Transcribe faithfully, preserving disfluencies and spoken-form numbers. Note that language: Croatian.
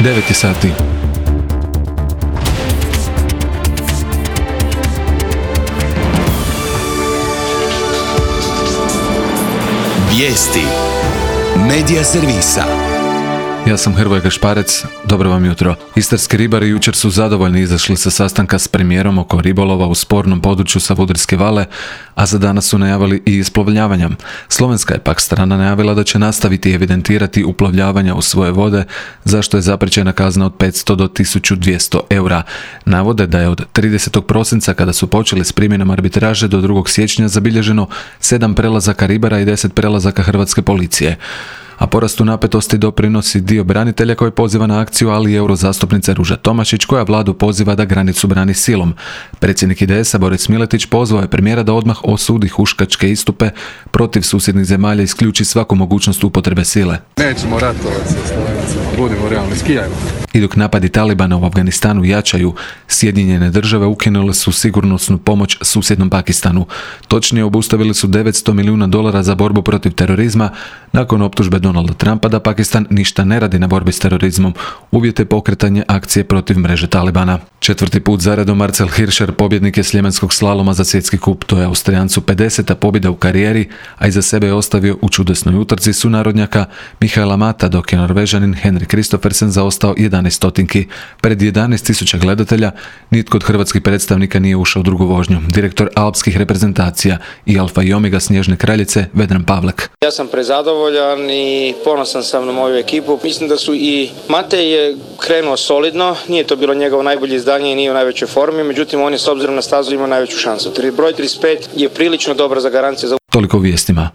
devet je sati. Vijesti Medija servisa. Ja sam Hrvoje Gašparec, dobro vam jutro. Istarski ribari jučer su zadovoljni izašli sa sastanka s premijerom oko ribolova u spornom području Savudrijske vale, a za danas su najavili i isplovljavanja. Slovenska je pak strana najavila da će nastaviti evidentirati uplovljavanja u svoje vode, za što je zapriječena kazna od petsto do tisuću dvjesto eura. Navode da je od tridesetog prosinca, kada su počeli s primjenom arbitraže, do drugog siječnja zabilježeno sedam prelazaka ribara i deset prelazaka hrvatske policije. A porastu napetosti doprinosi dio branitelja koji poziva na akciju, ali i eurozastupnica Ruža Tomašić koja vladu poziva da granicu brani silom. Predsjednik I D S-a Boris Miletić pozvao je premijera da odmah osudi huškačke istupe protiv susjednih zemalja i isključi svaku mogućnost upotrebe sile. Nećemo ratovati sa Slovencima, budimo realni, skijajmo. I dok napadi Talibana u Afganistanu jačaju, Sjedinjene države ukinule su sigurnosnu pomoć susjednom Pakistanu. Točnije, obustavili su devetsto milijuna dolara za borbu protiv terorizma nakon optužbe Donalda Trumpa da Pakistan ništa ne radi na borbi s terorizmom, uvjete pokretanje akcije protiv mreže Talibana. Četvrti put zaredom Marcel Hirscher pobjednik je sljemenskog slaloma za svjetski kup. To je Austrijancu pedeseta pobjeda u karijeri, a iza sebe je ostavio u čudesnoj utrci sunarodnjaka Michaela Mata, dok je Norvežanin Henrik Kristoffersen zaostao jedanaest stotinki. Pred jedanaest tisuća gledatelja nitko od hrvatskih predstavnika nije ušao u drugu vožnju. Direktor alpskih reprezentacija i alfa i omega snježne kraljice Vedran Pavlek. Ja sam prezadovoljan i ponosan sam na moju ekipu. Mislim da su i Matej je krenuo solidno, nije to bilo njegovo najbolje izdanje i nije u najvećoj formi, međutim on je s obzirom na stazu imao najveću šansu. Broj trideset pet je prilično dobra za garancije za... Toliko u vijestima.